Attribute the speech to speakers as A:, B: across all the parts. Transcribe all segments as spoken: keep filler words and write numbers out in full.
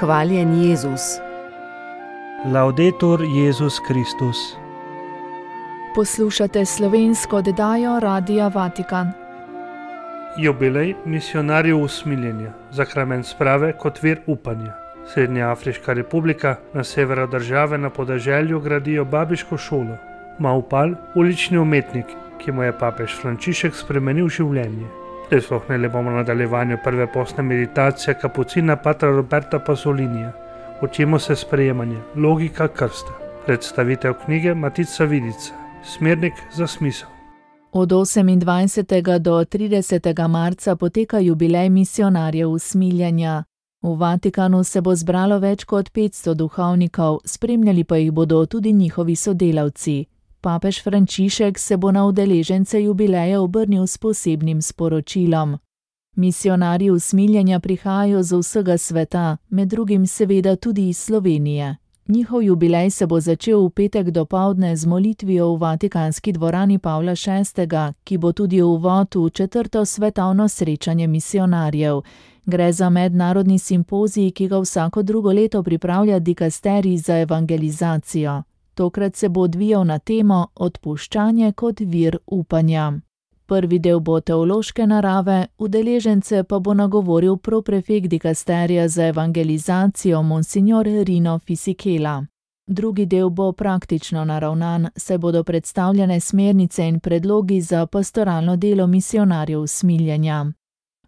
A: Hvaljen Jezus.
B: Laudetur Jezus Kristus.
C: Poslušate slovensko oddajo Radia Vatikan.
B: Jubilej misijonarjev usmiljenja, zakrament sprave kot vir upanja. Srednjeafriška republika na severu države na podeželju gradijo babiško šolo. Maupal, ulični umetnik, ki mu je papež Frančišek spremenil življenje. Prisluhnili bomo nadaljevanju prve postne meditacije kapucina patra Roberta Pasolinija. Učimo se sprejemanja, logika krsta. Predstavitev knjige Matica Vidica, smernik za smisel.
C: Od osemindvajsetega do tridesetega marca poteka jubilej misijonarjev usmiljenja. V Vatikanu se bo zbralo več kot petsto duhovnikov, spremljali pa jih bodo tudi njihovi sodelavci. Papež Frančišek se bo na udeležence jubileja obrnil s posebnim sporočilom. Misijonarji usmiljenja prihajajo z vsega sveta, med drugim seveda tudi iz Slovenije. Njihov jubilej se bo začel v petek dopoldne z molitvijo v Vatikanski dvorani Pavla šestega, ki bo tudi uvod v četrto svetovno srečanje misijonarjev. Gre za mednarodni simpozij, ki ga vsako drugo leto pripravlja dikasterij za evangelizacijo. Tokrat se bo odvijal na temo Odpuščanje kot vir upanja. Prvi del bo teološke narave, udeležence pa bo nagovoril proprefekt dikasterija za evangelizacijo monsignor Rino Fisichella. Drugi del bo praktično naravnan, saj bodo predstavljene smernice in predlogi za pastoralno delo misijonarjev usmiljenja.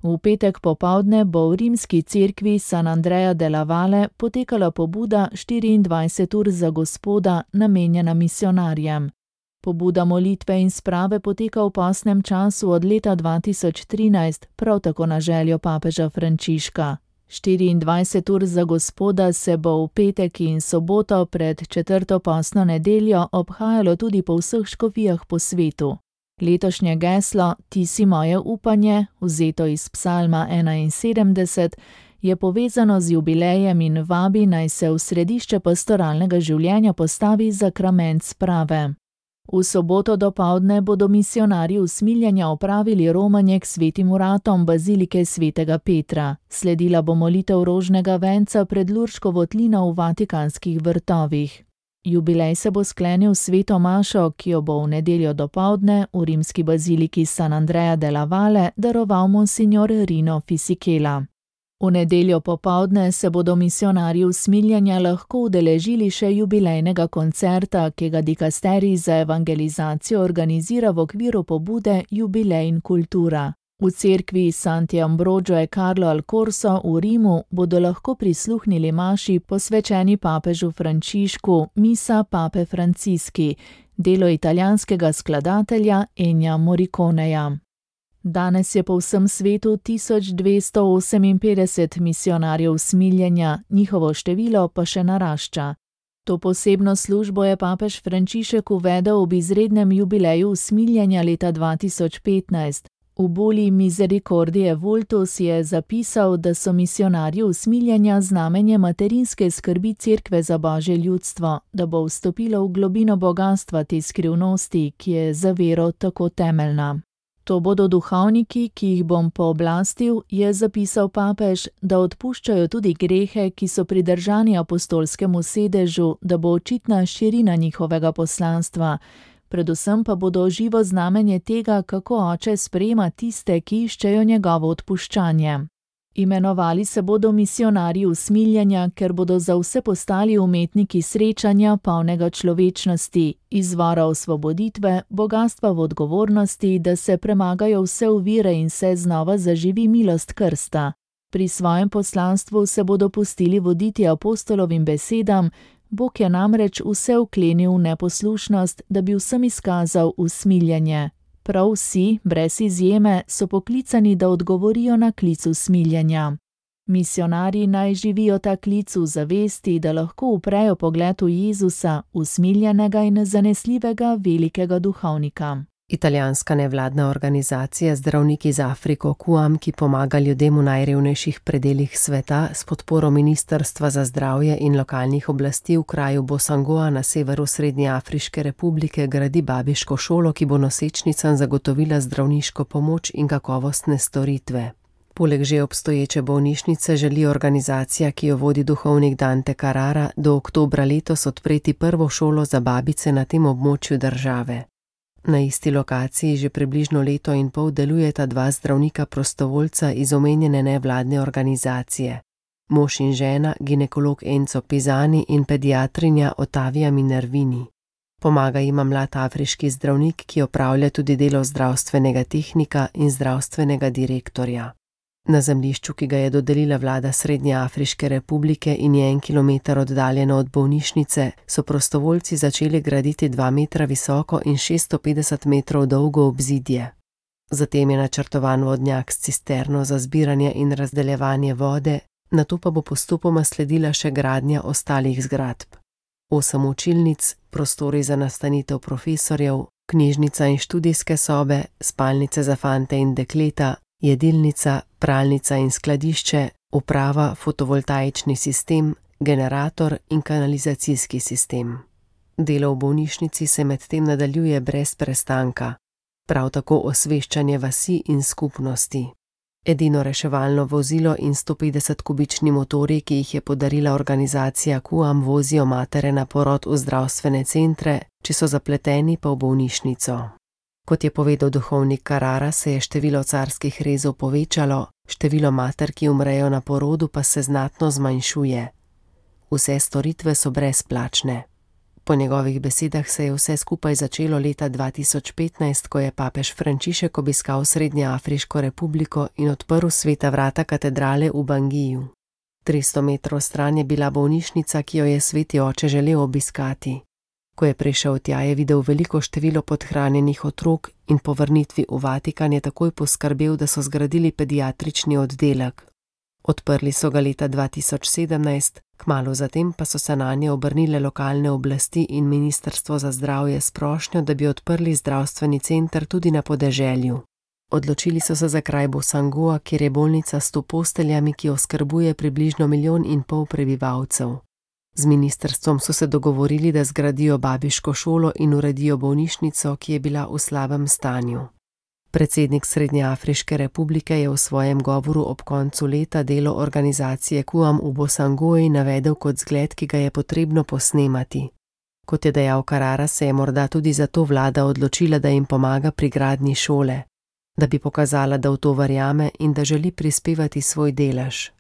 C: V petek popoldne bo v rimski cerkvi San Andrea della Valle potekala pobuda štiriindvajset ur za Gospoda, namenjena misijonarjem. Pobuda molitve in sprave poteka v postnem času od leta dva tisoč trinajst, prav tako na željo papeža Frančiška. štiriindvajset ur za Gospoda se bo v petek in soboto pred četrto postno nedeljo obhajalo tudi po vseh škofijah po svetu. Letošnje geslo Ti si moje upanje, vzeto iz psalma enainsedemdeset, je povezano z jubilejem in vabi, naj se v središče pastoralnega življenja postavi zakrament sprave. V soboto dopoldne bodo misijonarji usmiljenja opravili romanje k svetim vratom bazilike svetega Petra. Sledila bo molitev rožnega venca pred Lurško votlino v Vatikanskih vrtovih. Jubilej se bo sklenil s sveto mašo, ki jo bo v nedeljo dopoldne v rimski baziliki San Andrea della Valle daroval monsignor Rino Fisichella. V nedeljo popoldne se bodo misijonarji usmiljenja lahko udeležili še jubilejnega koncerta, ki ga dikasterij za evangelizacijo organizira v okviru pobude Jubilej in kultura. V cerkvi Santi Ambrogio e Carlo al Corso v Rimu bodo lahko prisluhnili maši posvečeni papežu Frančišku Misa Pape Franciski, delo italijanskega skladatelja Ennija Morriconeja. Danes je po vsem svetu tisoč dvesto oseminpetdeset misijonarjev usmiljenja, njihovo število pa še narašča. To posebno službo je papež Frančišek uvedel ob izrednem jubileju usmiljenja leta dva tisoč petnajst. V Bulli Misericordie Vultus je zapisal, da so misijonarji usmiljenja znamenje materinske skrbi Cerkve za Božje ljudstvo, da bo vstopilo v globino bogastva te skrivnosti, ki je za vero tako temeljna. To bodo duhovniki, ki jih bom pooblastil, je zapisal papež, da odpuščajo tudi grehe, ki so pridržani apostolskemu sedežu, da bo očitna širina njihovega poslanstva. Predvsem pa bodo živo znamenje tega, kako oče sprejema tiste, ki iščejo njegovo odpuščanje. Imenovali se bodo misijonarji usmiljenja, ker bodo za vse postali umetniki srečanja, polnega človečnosti, izvora osvoboditve, bogastva v odgovornosti, da se premagajo vse ovire in se znova zaživi milost krsta. Pri svojem poslanstvu se bodo pustili voditi apostolovim besedam, Bog je namreč vse vklenil v neposlušnost, da bi vsem izkazal usmiljenje. Prav vsi, brez izjeme, so poklicani, da odgovorijo na klic usmiljenja. Misijonarji naj živijo ta klic v zavesti, da lahko uprejo pogled v Jezusa, usmiljenega in zanesljivega velikega duhovnika.
A: Italijanska nevladna organizacija Zdravniki za Afriko Q A M, ki pomaga ljudem v najrevnejših predelih sveta, s podporo Ministrstva za zdravje in lokalnih oblasti v kraju Bosangoa na severu Srednjeafriške republike gradi babiško šolo, ki bo nosečnicam zagotovila zdravniško pomoč in kakovostne storitve. Poleg že obstoječe bolnišnice želi organizacija, ki jo vodi duhovnik Dante Carrara, do oktobra letos odpreti prvo šolo za babice na tem območju države. Na isti lokaciji že približno leto in pol delujeta dva zdravnika prostovoljca iz omenjene nevladne organizacije. Mož in žena, ginekolog Enzo Pisani in pediatrinja Ottavia Minervini. Pomaga jima mlad afriški zdravnik, ki opravlja tudi delo zdravstvenega tehnika in zdravstvenega direktorja. Na zemljišču, ki ga je dodelila vlada Srednje Afriške republike in je en kilometer oddaljeno od bolnišnice, so prostovoljci začeli graditi dva metra visoko in šeststo petdeset metrov dolgo obzidje. Zatem je načrtovan vodnjak s cisterno za zbiranje in razdeljevanje vode, nato pa bo postopoma sledila še gradnja ostalih zgradb. Osem učilnic, prostori za nastanitev profesorjev, knjižnica in študijske sobe, spalnice za fante in dekleta, jedilnica, pralnica in skladišče, uprava, fotovoltaični sistem, generator in kanalizacijski sistem. Delo v bolnišnici se medtem nadaljuje brez prestanka, prav tako osveščanje vasi in skupnosti. Edino reševalno vozilo in sto petdeset kubični motorji, ki jih je podarila organizacija Q A M, vozijo matere na porod v zdravstvene centre, če so zapleteni pa v bolnišnico. Kot je povedal duhovnik Carrara, se je število carskih rezov povečalo, število mater, ki umrejo na porodu, pa se znatno zmanjšuje. Vse storitve so brezplačne. Po njegovih besedah se je vse skupaj začelo leta dva tisoč petnajst, ko je papež Frančišek obiskal Srednjeafriško republiko in odprl sveta vrata katedrale v Bangiju. tristo metrov stran je bila bolnišnica, ki jo je sveti oče želel obiskati. Ko je prišel tja, je videl veliko število podhranjenih otrok in po vrnitvi v Vatikan je takoj poskrbel, da so zgradili pediatrični oddelek. Odprli so ga leta dva tisoč sedemnajst, kmalu zatem pa so se nanje obrnile lokalne oblasti in Ministrstvo za zdravje s prošnjo, da bi odprli zdravstveni center tudi na podeželju. Odločili so se za kraj Bosangoa, kjer je bolnica s sto posteljami, ki oskrbuje približno milijon in pol prebivalcev. Z ministrstvom so se dogovorili, da zgradijo babiško šolo in uredijo bolnišnico, ki je bila v slabem stanju. Predsednik Srednjeafriške republike je v svojem govoru ob koncu leta delo organizacije Q A M v Bosangoji navedel kot zgled, ki ga je potrebno posnemati. Kot je dejal Carrara, se je morda tudi zato vlada odločila, da jim pomaga pri gradnji šole, da bi pokazala, da v to verjame in da želi prispevati svoj delež.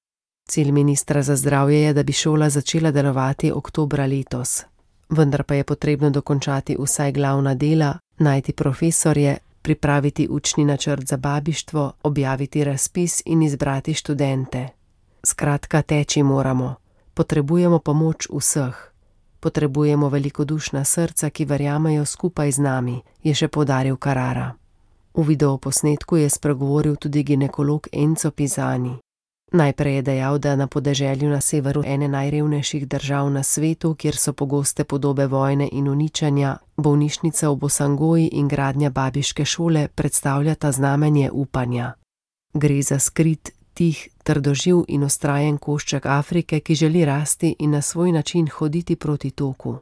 A: Cilj ministra za zdravje je, da bi šola začela delovati oktobra letos. Vendar pa je potrebno dokončati vsaj glavna dela, najti profesorje, pripraviti učni načrt za babištvo, objaviti razpis in izbrati študente. Skratka, teči moramo. Potrebujemo pomoč vseh. Potrebujemo velikodušna srca, ki verjamejo skupaj z nami, je še poudaril Carrara. V videoposnetku je spregovoril tudi ginekolog Enzo Pisani. Najprej je dejal, da na podeželju na severu ene najrevnejših držav na svetu, kjer so pogoste podobe vojne in uničenja, bolnišnica v Bosangoji in gradnja babiške šole predstavljata znamenje upanja. Gre za skrit, tih, trdoživ in vztrajen košček Afrike, ki želi rasti in na svoj način hoditi proti toku.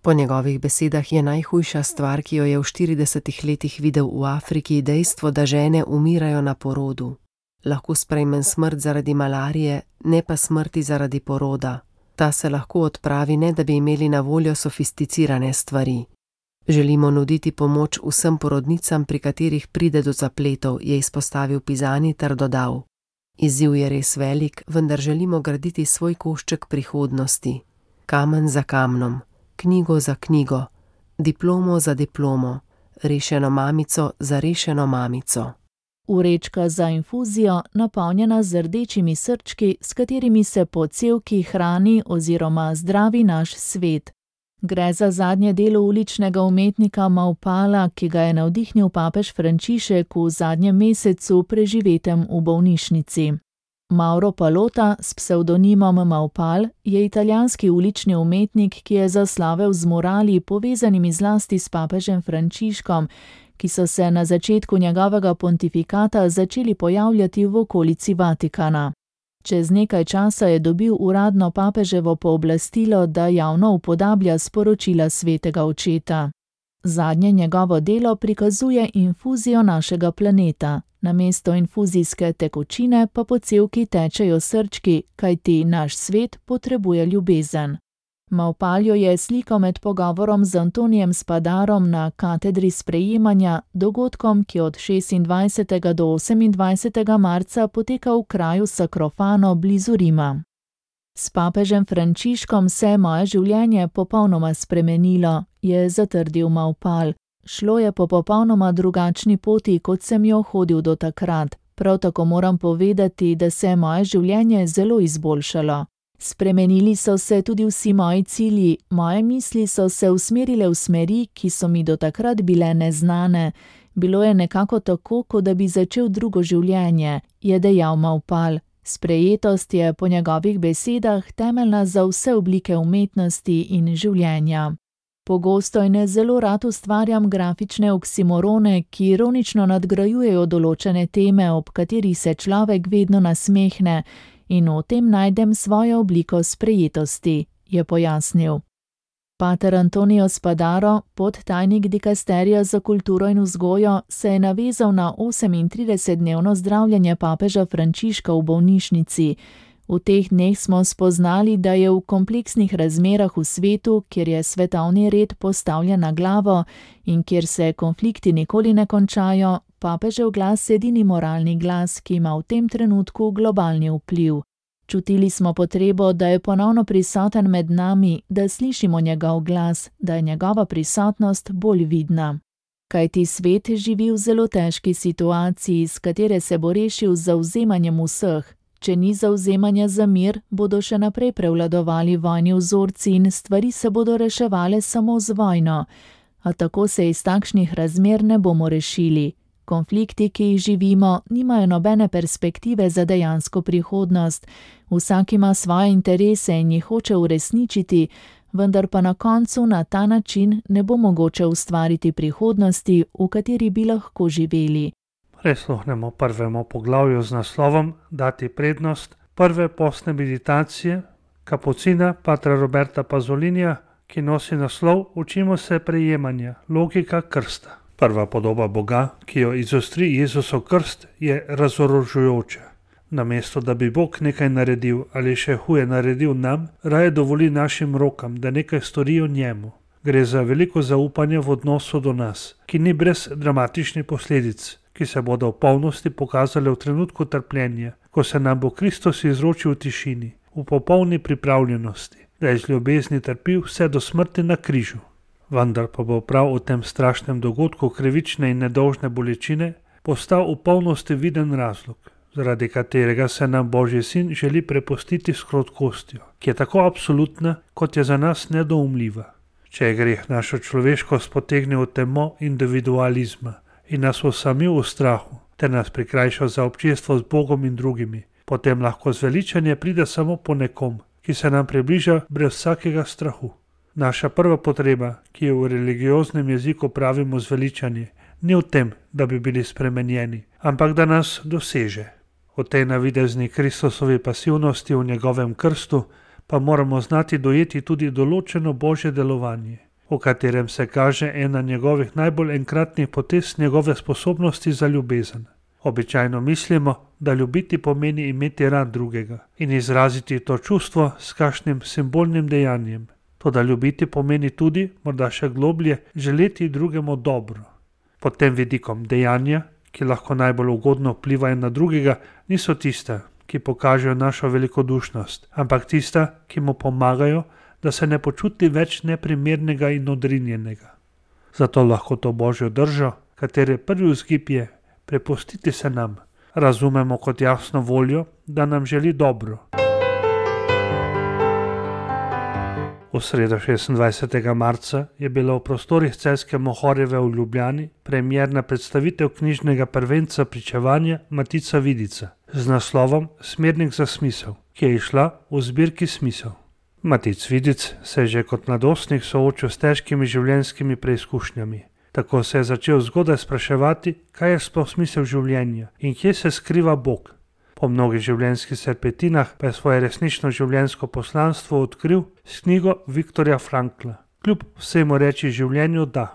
A: Po njegovih besedah je najhujša stvar, ki jo je v štiridesetih letih videl v Afriki, dejstvo, da žene umirajo na porodu. Lahko sprejmem smrt zaradi malarije, ne pa smrti zaradi poroda. Ta se lahko odpravi, ne da bi imeli na voljo sofisticirane stvari. Želimo nuditi pomoč vsem porodnicam, pri katerih pride do zapletov, je izpostavil Pisani ter dodal. Izziv je res velik, vendar želimo graditi svoj košček prihodnosti. Kamen za kamnom, knjigo za knjigo, diplomo za diplomo, rešeno mamico za rešeno mamico.
C: Vrečka za infuzijo, napolnjena z rdečimi srčki, s katerimi se po cevki hrani oziroma zdravi naš svet. Gre za zadnje delo uličnega umetnika Maupala, ki ga je navdihnil papež Frančišek v zadnjem mesecu preživetem v bolnišnici. Mauro Palota s psevdonimom Maupal je italijanski ulični umetnik, ki je zaslavel z murali povezanimi zlasti s papežem Frančiškom, ki so se na začetku njegovega pontifikata začeli pojavljati v okolici Vatikana. Čez nekaj časa je dobil uradno papeževo pooblastilo, da javno upodablja sporočila svetega očeta. Zadnje njegovo delo prikazuje infuzijo našega planeta, Namesto infuzijske tekočine pa po cevki tečejo srčki, kajti naš svet potrebuje ljubezen. Mavpaljo je slikal med pogovorom z Antonijem Spadarom na katedri sprejemanja, dogodkom, ki od šestindvajsetega do osemindvajsetega marca poteka v kraju Sacrofano blizu Rima. S papežem Frančiškom se je moje življenje popolnoma spremenilo, je zatrdil Mavpal. Šlo je po popolnoma drugačni poti, kot sem jo hodil do takrat. Prav tako moram povedati, da se je moje življenje zelo izboljšalo. Spremenili so se tudi vsi moji cilji, moje misli so se usmerile v smeri, ki so mi do takrat bile neznane. Bilo je nekako tako, kot da bi začel drugo življenje, je dejal Mavpal. Sprejetost je po njegovih besedah temeljna za vse oblike umetnosti in življenja. Pogosto in zelo rad ustvarjam grafične oksimorone, ki ironično nadgrajujejo določene teme, ob katerih se človek vedno nasmehne, in v tem najdem svojo obliko sprejetosti, je pojasnil. Pater Antonio Spadaro, podtajnik dikasterija za kulturo in vzgojo, se je navezal na osemintridesetdnevno zdravljenje papeža Frančiška v bolnišnici. V teh dneh smo spoznali, da je v kompleksnih razmerah v svetu, kjer je svetovni red postavljen na glavo in kjer se konflikti nikoli ne končajo, papežev glas edini moralni glas, ki ima v tem trenutku globalni vpliv. Čutili smo potrebo, da je ponovno prisoten med nami, da slišimo njegov glas, da je njegova prisotnost bolj vidna. Kajti svet živi v zelo težki situaciji, s katere se bo rešil z zavzemanjem vseh. Če ni zavzemanja za mir, bodo še naprej prevladovali vojni vzorci in stvari se bodo reševale samo z vojno. A tako se iz takšnih razmer ne bomo rešili. Konflikti, ki jih živimo, nimajo nobene perspektive za dejansko prihodnost. Vsak ima svoje interese in jih hoče uresničiti, vendar pa na koncu na ta način ne bo mogoče ustvariti prihodnosti, v kateri bi lahko živeli.
B: Prisluhnemo prvemu poglavju z naslovom Dati prednost prve postne meditacije kapucina patra Roberta Pazolinija, ki nosi naslov Učimo se prejemanja, logika krsta. Prva podoba Boga, ki jo izostri Jezusov krst, je razorožujoča. Namesto da bi Bog nekaj naredil ali še huje naredil nam, raje dovoli našim rokam, da nekaj storijo njemu. Gre za veliko zaupanje v odnosu do nas, ki ni brez dramatičnih posledic, ki se bodo v polnosti pokazale v trenutku trpljenja, ko se nam bo Kristus izročil v tišini, v popolni pripravljenosti, da je z ljubezni trpil vse do smrti na križu. Vendar pa bo prav v tem strašnem dogodku krivične in nedolžne bolečine postal v polnosti viden razlog, zaradi katerega se nam Božji sin želi prepustiti s krotkostjo, ki je tako absolutna, kot je za nas nedoumljiva. Če je greh našo človeškost potegnil v temo individualizma in nas osamil v strahu, ter nas prikrajšal za občestvo z Bogom in drugimi, potem lahko zveličanje pride samo po nekom, ki se nam približa brez vsakega strahu. Naša prva potreba, ki jo v religioznem jeziku pravimo zveličanje, ni v tem, da bi bili spremenjeni, ampak da nas doseže. V tej navidezni Kristusovi pasivnosti v njegovem krstu pa moramo znati dojeti tudi določeno Božje delovanje, v katerem se kaže ena njegovih najbolj enkratnih potez njegove sposobnosti za ljubezen. Običajno mislimo, da ljubiti pomeni imeti rad drugega in izraziti to čustvo s kakšnim simbolnim dejanjem. Toda ljubiti pomeni tudi, morda še globlje, želeti drugemu dobro. Pod tem vidikom dejanja, ki lahko najbolj ugodno vplivajo na drugega, niso tista, ki pokažejo našo velikodušnost, ampak tista, ki mu pomagajo, da se ne počuti več neprimernega in odrinjenega. Zato lahko to Božjo držo, katere prvi vzgib je prepustiti se nam, razumemo kot jasno voljo, da nam želi dobro. V sredo šestindvajsetega marca je bila v prostorih Celjske Mohorjeve v Ljubljani premierna predstavitev knjižnega prvenca pričevanja Matica Vidica z naslovom Smernik za smisel, ki je izšla v zbirki Smisel. Matic Vidic se je že kot mladostnik soočil s težkimi življenjskimi preizkušnjami. Tako se je začel zgodaj spraševati, kaj je sploh smisel življenja in kje se skriva Bog. Po mnogih življenjskih serpetinah pa je svoje resnično življenjsko poslanstvo odkril s knjigo Viktorja Frankla. Kljub vsemu reči življenju da.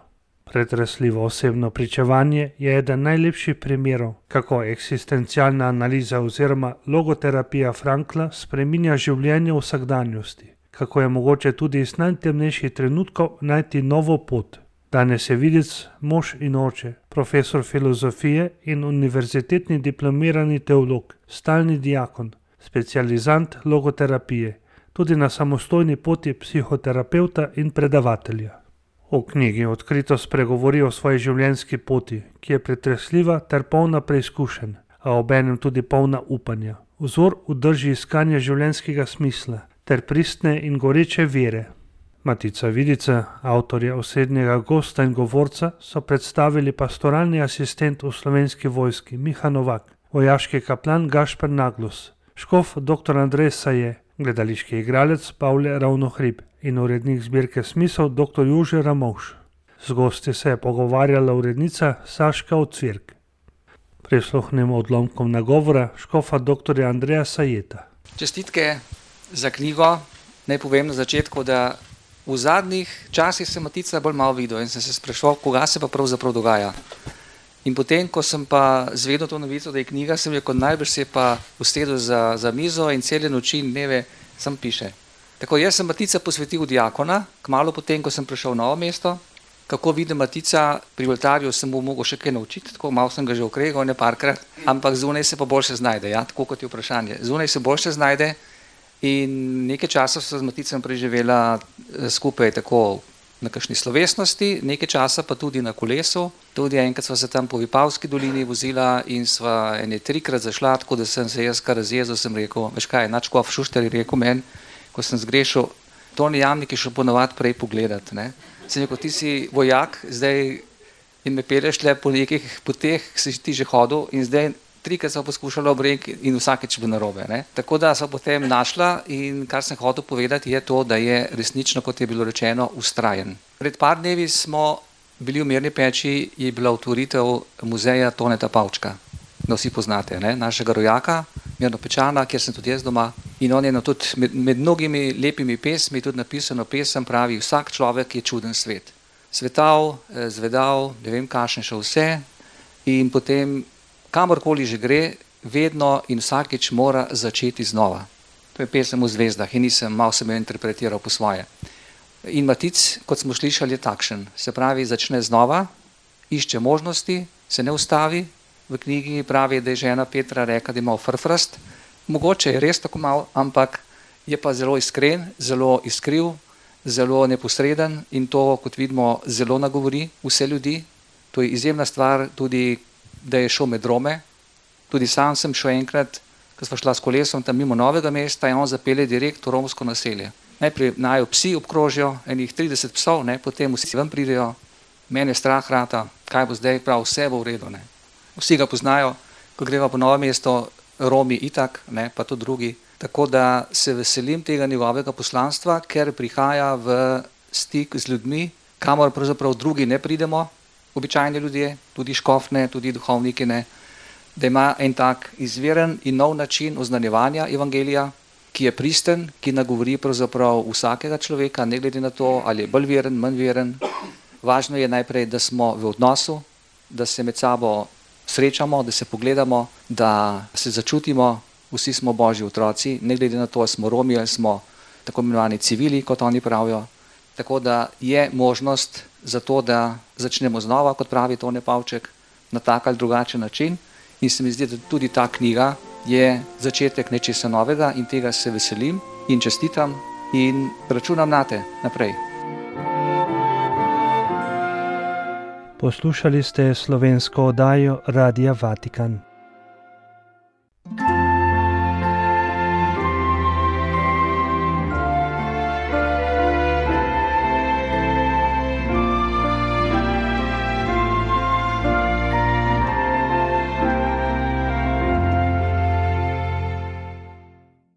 B: Pretresljivo osebno pričevanje je eden najlepših primerov, kako eksistencialna analiza oziroma logoterapija Frankla spreminja življenje v vsakdanjosti, kako je mogoče tudi iz najtemnejših trenutkov najti novo pot. Danes je videc, mož in oče, profesor filozofije in univerzitetni diplomirani teolog, stalni diakon, specializant logoterapije, tudi na samostojni poti psihoterapevta in predavatelja. V knjigi odkrito spregovori o svoji življenjski poti, ki je pretresljiva ter polna preizkušenj, a obenem tudi polna upanja. Vzor v drži iskanja življenjskega smisla ter pristne in goreče vere. Matica Vidica, avtorja osrednjega gosta in govorca, so predstavili pastoralni asistent v Slovenski vojski Miha Novak, vojaški kaplan Gašper Naglus, škof doktor Andrej Saje, gledališki igralec Pavle Ravnohrib in urednik zbirke Smisel doktor Jože Ramovš. Z gosti se je pogovarjala urednica Saška Ocvirk. Prisluhnemo odlomkom nagovora škofa doktorja Andreja Sajeta.
D: Čestitke za knjigo. Naj povem na začetku, da v zadnjih časih sem Matica bolj malo videl in sem se spraševal, koga se pa pravzaprav dogaja. In potem, ko sem pa zvedel to novico, da je knjiga, sem rekel, najbrž se je pa usedel za, za mizo in cele noči in dneve sam piše. Tako jaz sem Matica posvetil diakona, kmalu potem, ko sem prišel v Novo mesto. Kako vidim Matica, pri oltarju sem mu mogel še kaj naučiti, tako malo sem ga že okregal, ne parkrat, ampak zunaj se pa boljše znajde, ja, tako kot je vprašanje. Zunaj se boljše znajde in nekaj časa so z Maticem preživela skupaj tako na kakšni slovesnosti, nekaj časa pa tudi na kolesu. Tudi enkrat sva se tam po Vipavski dolini vozila in sva ene trikrat zašla, tako da sem se jaz kar razjezil, sem rekel, veš kaj, Načkov Šušter je rekel meni, ko sem zgrešil, Toni Jamnik je šel ponovadi prej pogledat, ne. Sem rekel, ti si vojak, zdaj in me peleš le po nekih poteh, si ti že hodil in zdaj trikrat sva poskušala obrek in vsakeč bo narobe, ne. Tako da sva potem našla in kar sem hotel povedati je to, da je resnično, kot je bilo rečeno, vztrajen. Pred par dnevi smo bili v Mirni Peči, je bila otvoritev muzeja Toneta Pavčka. Da vsi poznate, ne, našega rojaka, Mirnopečana, kjer sem tudi jaz doma. In on je na tudi med, med mnogimi lepimi pesmi tudi napisano pesem, pravi, vsak človek je čuden svet. Svetav, zvedav, ne vem kakšen še vse in potem kamorkoli že gre, vedno in vsakič mora začeti znova. To je pesem v zvezdah in nisem, malo sem jo interpretiral po svoje. In Matic, kot smo slišali, je takšen. Se pravi, začne znova, išče možnosti, se ne ustavi. V knjigi pravi, da je žena Petra rekla, da je malo frfrast. Mogoče je res tako malo, ampak je pa zelo iskren, zelo iskriv, zelo neposreden in to, kot vidimo, zelo nagovori vse ljudi. To je izjemna stvar tudi, da je šel med Rome. Tudi sam sem šel enkrat, ko sva šla s kolesom tam mimo Novega mesta in on zapelje direkt v romsko naselje. Najprej najo psi obkrožijo, enih trideset psov, ne, potem vsi ven pridejo, mene strah rata, kaj bo zdaj, prav, vse bo v redu, ne. Vsi ga poznajo, ko greva po Novo mesto, Romi itak, ne, pa tudi drugi. Tako da se veselim tega njegovega poslanstva, ker prihaja v stik z ljudmi, kamor pravzaprav drugi ne pridemo, običajni ljudje, tudi škofne, tudi duhovniki ne, da ima en tak izviren in nov način oznanjevanja evangelija, ki je pristen, ki nagovori pravzaprav vsakega človeka, ne glede na to, ali je bolj veren, manj veren. Važno je najprej, da smo v odnosu, da se med sabo srečamo, da se pogledamo, da se začutimo, vsi smo Božji otroci, ne glede na to, ali smo Romi ali smo tako imenovani civili, kot oni pravijo. Tako da je možnost za to, da začnemo znova, kot pravi Tone Pavček, na tak ali drugačen način. In se mi zdi, da tudi ta knjiga je začetek nečesa novega in tega se veselim in čestitam in računam nate naprej.
B: Poslušali ste slovensko oddajo Radia Vatikan.